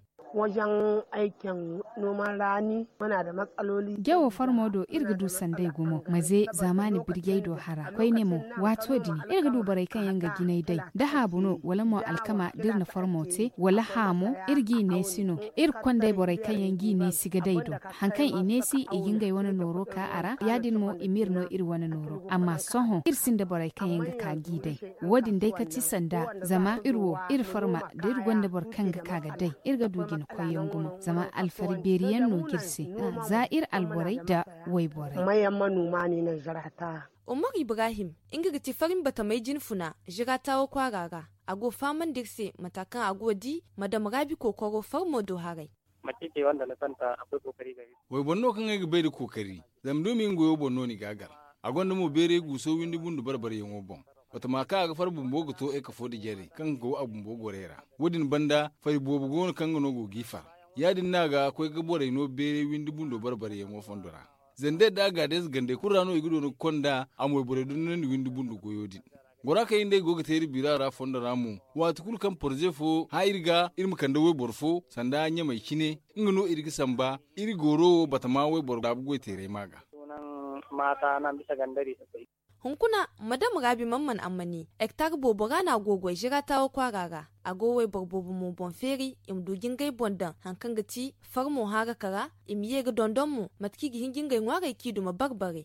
Jawo farmo do iri ga du sanday gumo maze zaamaani birjey do hara koyne mo. Waato din iri ga du borey kaŋ yaŋ ga jinay day da haabu no wala mo alkama da iri na farmo te wala haamo iri g'i neesi no. Iri ga konday borey kaŋ yaŋ g'i neesi ga day do. Hari kaŋ i neesi i ga ngey wane nooro ka a ra ya- din mo i m'iri no iri wane nooro amma sohõ iri sinda borey kaŋ yaŋ ga ka g'i day. Wo- din day kati sanda zama iri wo iri farma da iri gonda boro kaŋ ga ka ga day iri ga du jina koyyaŋ gumo zama alfari beeri yaŋ no ga iri se. Za iri alborey nda wayborey. Umar ibrahim nga ga ti farin batamay jinfuna zira taawo kwaara ra. A go fahamandi iri se mata kaŋ a go ga di madam raabi kookoro farmo do haray. Wayboro no kaŋ ay ga bay nda kookari. Zama duumi nga goyo boŋ no ni ga a gar. A gonda mo beeray guuso windi bundu bare-bareyaŋo boŋ. Batama kaŋ a ga far bumbo ga to ekafo nda jare kaŋ ga go a bumbo gorey ra. Wo- din banda fari boobo go no kaŋ nga no go g'i far. Ya- din no a ga koy ga borey no beeray windi bundo bare-bareyaŋo fondo ra. Zandey nda agaadez gandey kulu ra no i ga doona ga konda a moy borey dondonandi windi bundo goyo din. Gora kaŋ iri nd'ey go ga te iri bira ra fondo ra mo. Waati kulu kaŋ porze fo hã iri ga iri ma kande wayboro fo sanda ɲamey cine. Nga no iri ga samba iri gooro wo batama wayboro daabu goy teeray ma ga. Hunkuna, madam raabi man mana ammani, hektar boobo ra no a go goy zira taawa kwaara ra. A go wayboro boobo mo boŋ feeri i ma du ga ngey boŋ daŋ hari kaŋ ga ti farmo haaraka ra. I ma ye ga dondon mo mate kaŋ i ga hin ga ngey ŋwaaray kaŋ i duma bare bare.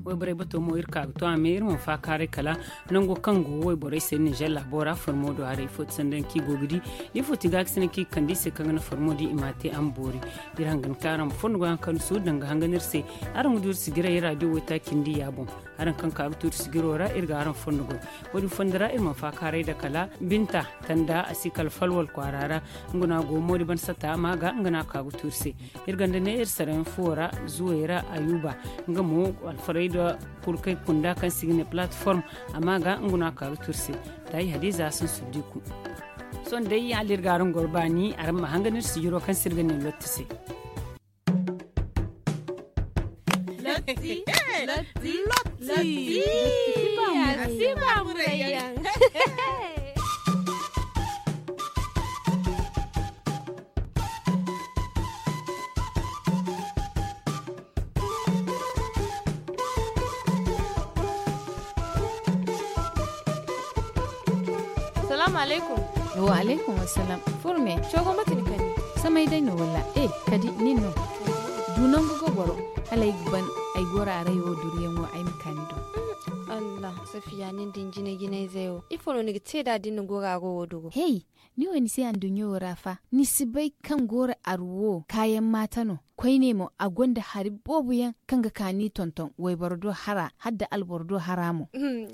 Wayborey bato mo iri ka ga to a me iri mana faakaaray kala nango kaŋ go wayborey se ninzeer laabo ra farmo do haray ifo ti sanda yaŋ kaŋ i go ga di. Da ifo ti ga ga sanda kaŋ i ga kande i se kaŋ ga naŋ farmo di i ma a te a ma boori. Iri hangan kaŋ araŋ ma fondo goy hari kaŋ ni si du daŋ ga hangan iri se. Araŋ ga du iri sijiray iri raadiyo waytaaci nda iyya boŋ. Araŋ kaŋ ka ga tuuri sijiro ra iri ga araŋ fondo goy. Wo- din fondo ra iri mana faakaaray da kala binta tanda a si kala falwal kwaara ra. Nga no a go moodi ban sata a ma ga nga no a ka ga tuuri se. Iri ganda ne iri sarayaŋ fuwo ra zuwey ra ayuba. Nga mo alfarayda kulu kaŋ ay kunda kaŋ se i ga ne platform a ma ga nga no a ka ga tuuri se. Taayi hadiza a sansuddiku. Sohõ day hala iri ga araŋ goro baani araŋ ma hangan iri sijiro kaŋ se iri ga ne lotti se. Lotti. Lotti. Lotti. Lotti. Lotti. Salaamu alaykum. Wa alaykum wassalam. Furme. Cogo mate ni kani? Samay day no walla e kadi nin no? Du nangu ga goro. Hala ay ga ban ay goro aray wo duriyaŋo ay ma ka ni do. Allah, safiya nin din jine jinayzey wo ifo no ni ga te nd'a da ni na goro aro wo duro? Hey, ni wo ni se anduɲɲo wo ra fa ni si bay kaŋ goro aru wo kaayaŋ maata no. Koyne mo a gonda hari boobo yaŋ kaŋ ga ka ni tonton wayboro do hara hala da alboro do hara mo.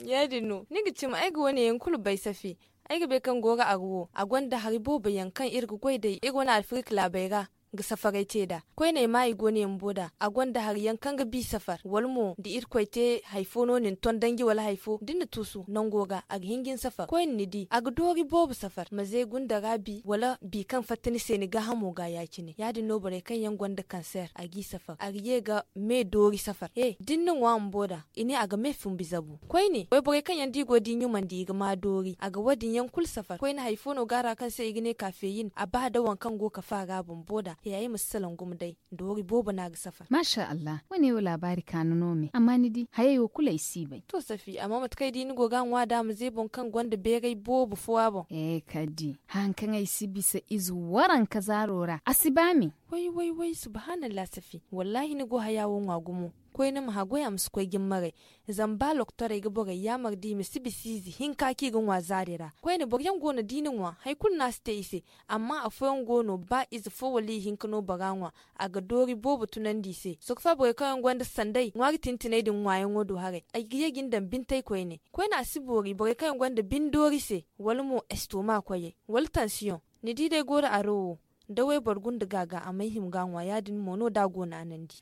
Ya- din no ni ga cimi ay ga wane yaŋ kulu bay safi. Ay ga bay kaŋ goro aru wo a gonda hari boobo yaŋ kaŋ iri ga goy day iri wane alfirik laabey ra ga safaray te nd'a. Koyne ay ma i go ne bumbo nd'a a gonda hari yaŋ kaŋ ga bi safar wala mo da irkoy te hari fo no ni na ton danji wala hari fo da ni na tuusu nango ga a ga hin ga ni safar koyne ni di a ga doori boobo safar ma ze gunda ra bi wala bi kaŋ fatta ni se ni gaahamo ga ya- cine ya- din no borey kaŋ yaŋ gonda kanseer a g'i safar a ga ye ga me doori safar he da ni na ŋwa bumbo nd'a. I ne a ga me fumbi zabu koyne wayborey kaŋ yaŋ da i go da i ɲumandi i ga ma doori a ga wo- din yaŋ kulu safar koyne hari fo no go a ra kaŋ se i ga ne kaafeyin a ba da waŋ kaŋ go ga kafa ra bumbo nd'a he ay ma si salaŋ gumo day. Doori boobo no a ga safar. Maasa allah wane wo laabaari kaanu no me amma ni di hayey wo kulu ay si bay. To safi amma mate kaŋ ay di ni go ga a ŋwa nd'a ma ze boŋ kaŋ gonda beeray boobo fo a boŋ. Ee kala di haŋ kaŋ ay si bisa ize waranka zaaro ra a si ba me. Way way way subhanallah safi. Wallaahi ni go haya wo ŋwa gumo. Koyne ma haggoy a ma si koy ga ni maray. Zama ba lokotorey ga borey yaamar da i ma si bisa ize hinka kaŋ i ga ŋwa zaari ra koyne boro yaŋ go no da i na ŋwa hari kulu no a si te i se. Amma afooyaŋ go no ba ize fo wala ihinka no bora ŋwa a ga doori boobo tunandi i se soko fa borey kaŋ yaŋ gonda sanday ŋwaari tintinay din ŋwaayaŋo do haray ay ga ye ga ni daŋ bintey koyne. Koyne a si boori borey kaŋ yaŋ gonda bine doori se wala mo estoma koyey wala tansiyoŋ. Ni di day gooro aro wo da wayboro gunda gaaga a may hima ga a ŋwa ya- din mo no da a go naanandi.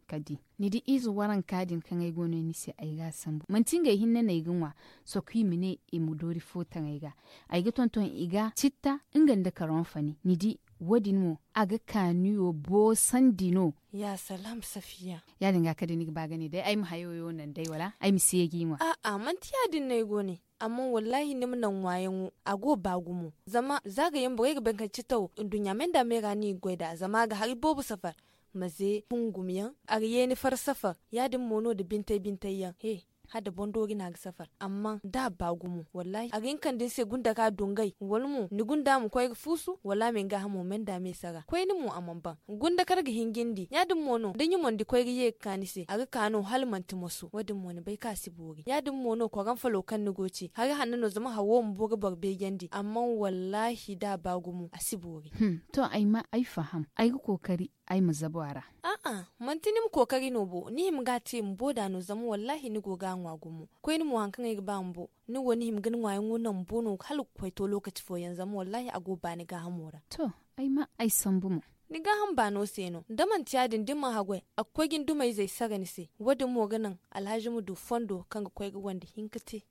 Kala di ni di ize waranka din kaŋ ay go no ni se ay ga a sambu manti ngey hinne no ay ga ŋwa. Soko i ma ne i ma doori fo taŋ ay ga ay ga tonton i ga citta nga nda karonfani ni di. Wo- din mo a ga kaaniyo boosandi no. Ya salaam safiya. Ya- din ga kala day ni ga ba ga ne day ay ma hayo wo naŋ day wala ay ma si ye g'i ŋwa. A'a manti ya- din no ay go ne. Amma wallaahi ni ma naŋ ŋwaayaŋo a go ba gumo. Zama za ga yaŋ borey ga bay kaŋ citta wo nduɲɲa me nda me ra no i ga goy nd'a zama a ga hari boobo safar. Ma ze hungum yaŋ a ga ye ni far safar. Ya- din mo no nda bintey bintey yaŋ he hala nda boŋ doori no a ga safar amma da a ba gumo wallaahi a ga hin kande ni se gunda ga a dungay wala mo ni gunda ma koy ga fuusu wala a ma ni gaahamo me nda a me sara koyne mo a mana ban. Gunda kar ga hin ga ni di ya- din mo no da ɲumandi koy ga ye ga ka ni se a ga ka no hala manti moso wo- din mo ni bay kaŋ a si boori ya- din mo no koranfalo kaŋ ni go ga ci hari hanno no zama haro ma boro boro beejandi amma wallaahi da a ba gumo a si boori. To ay ma ay faham ay ga kookari ay ma zabu a ra. A'a manti ni ma kookari no bo ni hima ga a te bumbo da no zama wallaahi ni go ga a ŋwa gumo. Koyne mo hari kaŋ ay ga ba bumbo ni wo ni hima ga ni ŋwaayaŋo naŋ bumbo no hala ga koy to lookaci fooyaŋ zama wallaahi a go baani gaahamo ra. To ay ma ay sambu mo. Ni gaaham baano se no da manti ya- din da ni mana haggoy a ga koy ga ni dumayzey sara ni se. Wo- din mo ga naŋ alhazi ma du fondo kaŋ ga koy ga wande hinka te.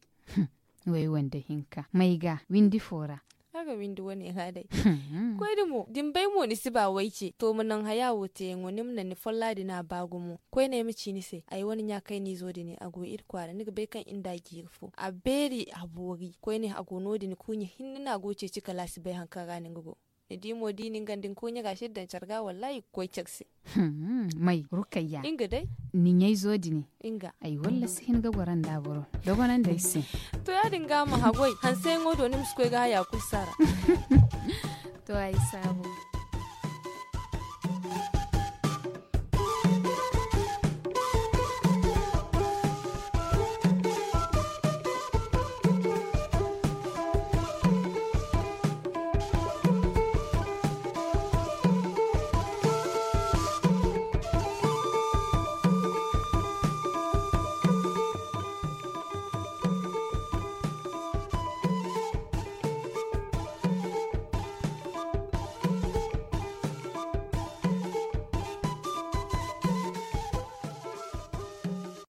Way wande hinka may ga windi fo ra. A ga windi wane ra day. Koyne mo da ni bay mo ni si ba wayce to ma naŋ haya wo teeyaŋo ni ma naŋ ni folla din a ba gumo koyne ay ma ci ni se ay wane ɲa kayna izo din a go iri kwaara ni ga bay kaŋ iri nda a jiiri fo a beeri a boori koyne a go no- din kuuɲa hinne no a go ga ceeci kala a si bay hari kaŋ ra no nga go. Ni di mo da i na nga nda ni koy ɲaga se daŋ care ga wallaahi i ga koy care se. May rukayya nga day. Ni ɲayzo dini nga ay walla si hin ga goro nda boro dogonandi ay se. To ya- din ga ma hagoy hanseyaŋo do ni ma si koy ga haya kulu sara. To ay saabu.